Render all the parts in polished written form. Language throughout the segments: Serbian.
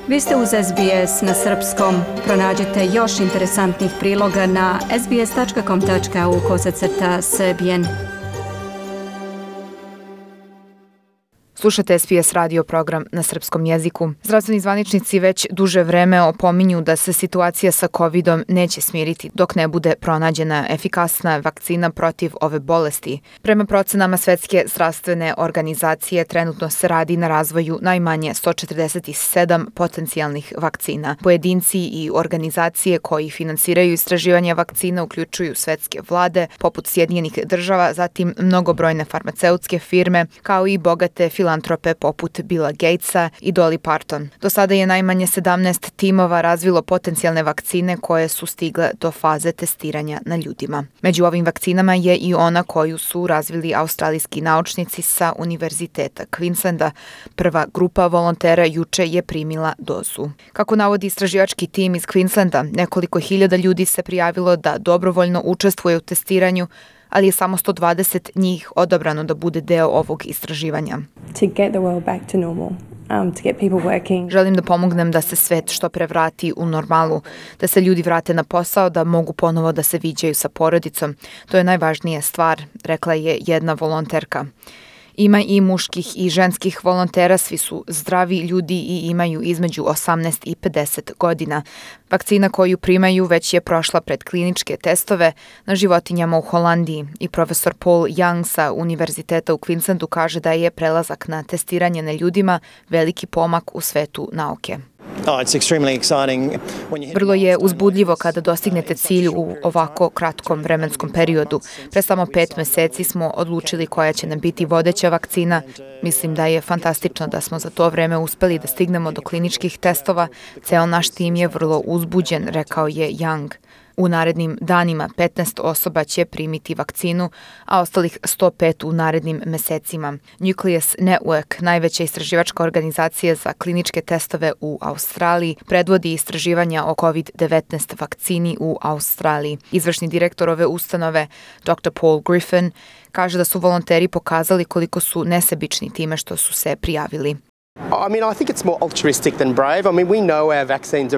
Vi ste uz SBS na srpskom. Pronađite još interesantnih priloga na sbs.com.au/srbijen. Slušate SBS radio program na srpskom jeziku. Zdravstveni zvaničnici već duže vreme opominju da se situacija sa COVID-om neće smiriti dok ne bude pronađena efikasna vakcina protiv ove bolesti. Prema procenama Svetske zdravstvene organizacije trenutno se radi na razvoju najmanje 147 potencijalnih vakcina. Pojedinci i organizacije koji finansiraju istraživanje vakcina uključuju svetske vlade, poput Sjedinjenih država, zatim mnogobrojne farmaceutske firme, kao i bogate filantrope poput Billa Gatesa i Dolly Parton. Do sada je najmanje 17 timova razvilo potencijalne vakcine koje su stigle do faze testiranja na ljudima. Među ovim vakcinama je i ona koju su razvili australijski naučnici sa Univerziteta Queenslanda. Prva grupa volontera juče je primila dozu. Kako navodi istraživački tim iz Queenslanda, nekoliko hiljada ljudi se prijavilo da dobrovoljno učestvuje u testiranju, ali je samo 120 njih odabrano da bude deo ovog istraživanja. Želim da pomognem da se svet što pre vrati u normalu, da se ljudi vrate na posao, da mogu ponovo da se viđaju sa porodicom. To je najvažnija stvar, rekla je jedna volonterka. Ima i muških i ženskih volontera, svi su zdravi ljudi i imaju između 18 i 50 godina. Vakcina koju primaju već je prošla predkliničke testove na životinjama u Holandiji i profesor Paul Young sa Univerziteta u Queenslandu kaže da je prelazak na testiranje na ljudima veliki pomak u svetu nauke. Vrlo je uzbudljivo kada dostignete cilj u ovako kratkom vremenskom periodu. Pre samo 5 meseci smo odlučili koja će nam biti vodeća vakcina. Mislim da je fantastično da smo za to vreme uspeli da stignemo do kliničkih testova. Ceo naš tim je vrlo uzbuđen, rekao je Young. U narednim danima 15 osoba će primiti vakcinu, a ostalih 105 u narednim mesecima. Nucleus Network, najveća istraživačka organizacija za kliničke testove u Australiji, predvodi istraživanja o COVID-19 vakcini u Australiji. Izvršni direktor ove ustanove, Dr. Paul Griffin, kaže da su volonteri pokazali koliko su nesebični time što su se prijavili.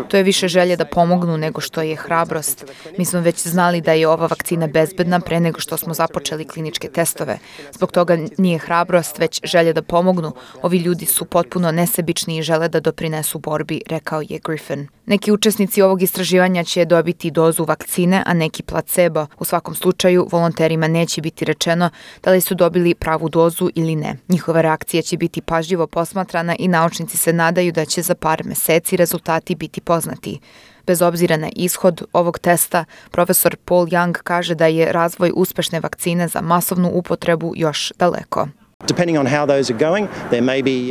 To je više želje da pomognu nego što je hrabrost. Mi smo već znali da je ova vakcina bezbedna pre nego što smo započeli kliničke testove. Zbog toga nije hrabrost, već želje da pomognu. Ovi ljudi su potpuno nesebični i žele da doprinesu borbi, rekao je Griffin. Neki učesnici ovog istraživanja će dobiti dozu vakcine, a neki placebo. U svakom slučaju, volonterima neće biti rečeno da li su dobili pravu dozu ili ne. Njihova reakcija će biti pažljivo posmatrana i naučnici se nadaju da će za par meseci rezultati biti poznati. Bez obzira na ishod ovog testa, profesor Paul Young kaže da je razvoj uspešne vakcine za masovnu upotrebu još daleko.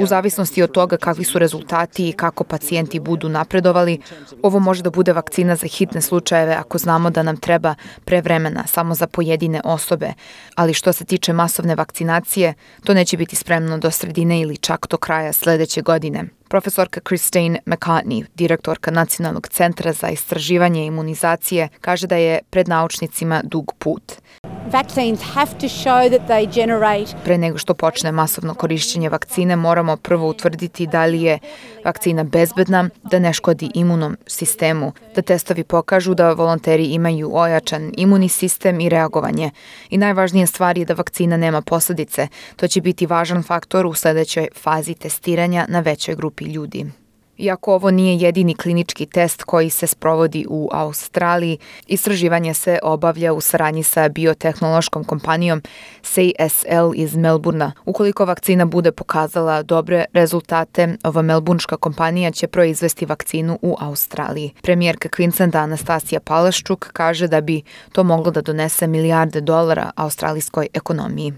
U zavisnosti od toga kakvi su rezultati i kako pacijenti budu napredovali, ovo može da bude vakcina za hitne slučajeve ako znamo da nam treba pre vremena samo za pojedine osobe, ali što se tiče masovne vakcinacije, to neće biti spremno do sredine ili čak do kraja sledeće godine. Profesorka Christine McCartney, direktorka Nacionalnog centra za istraživanje imunizacije, kaže da je pred naučnicima dug put. Pre nego što počne masovno korišćenje vakcine, moramo prvo utvrditi da li je vakcina bezbedna, da ne škodi imunom sistemu, da testovi pokažu da volonteri imaju ojačan imunni sistem i reagovanje. I najvažnija stvar je da vakcina nema posledice. To će biti važan faktor u sledećoj fazi testiranja na većoj grupi ljudi. Iako ovo nije jedini klinički test koji se sprovodi u Australiji, istraživanje se obavlja u saradnji sa biotehnološkom kompanijom CSL iz Melbourna. Ukoliko vakcina bude pokazala dobre rezultate, ova melbourneška kompanija će proizvesti vakcinu u Australiji. Premijerka Queenslanda Anastasija Palaszczuk kaže da bi to moglo da donese milijarde dolara australijskoj ekonomiji.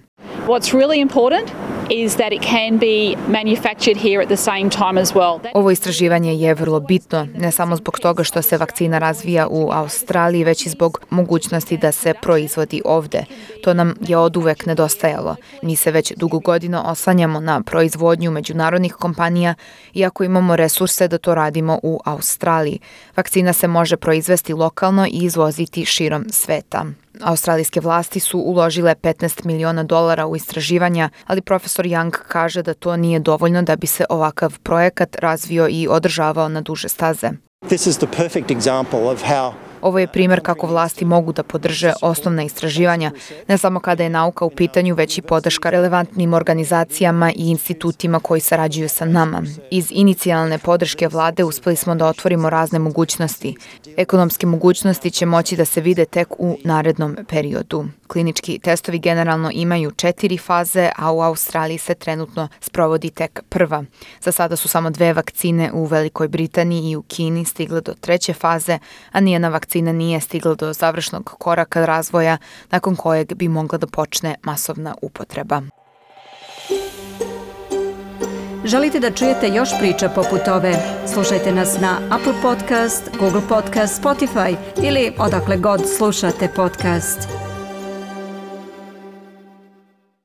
What's really important is that it can be manufactured here at the same time as well. Ovo istraživanje je vrlo bitno, ne samo zbog toga što se vakcina razvija u Australiji, već i zbog mogućnosti da se proizvodi ovde. To nam je oduvek nedostajalo. Mi se već dugo godina oslanjamo na proizvodnju međunarodnih kompanija, iako imamo resurse da to radimo u Australiji. Vakcina se može proizvesti lokalno i izvoziti širom sveta. Australijske vlasti su uložile $15 miliona u istraživanja, ali profesor Profesor Young kaže da to nije dovoljno da bi se ovakav projekat razvio i održavao na duže staze. This is the perfect example of how Ovo je primjer kako vlasti mogu da podrže osnovna istraživanja, ne samo kada je nauka u pitanju, već i podrška relevantnim organizacijama i institutima koji sarađuju sa nama. Iz inicijalne podrške vlade uspeli smo da otvorimo razne mogućnosti. Ekonomske mogućnosti će moći da se vide tek u narednom periodu. Klinički testovi generalno imaju 4 faze, a u Australiji se trenutno sprovodi tek prva. Za sada su samo 2 vakcine u Velikoj Britaniji i u Kini stigle do 3. faze, a nijedna vakcina nije stigla do završnog koraka razvoja nakon kojeg bi mogla da počne masovna upotreba. Želite da čujete još priča poput ove? Slušajte nas na Apple Podcast, Google Podcast, Spotify ili odakle god slušate podcast.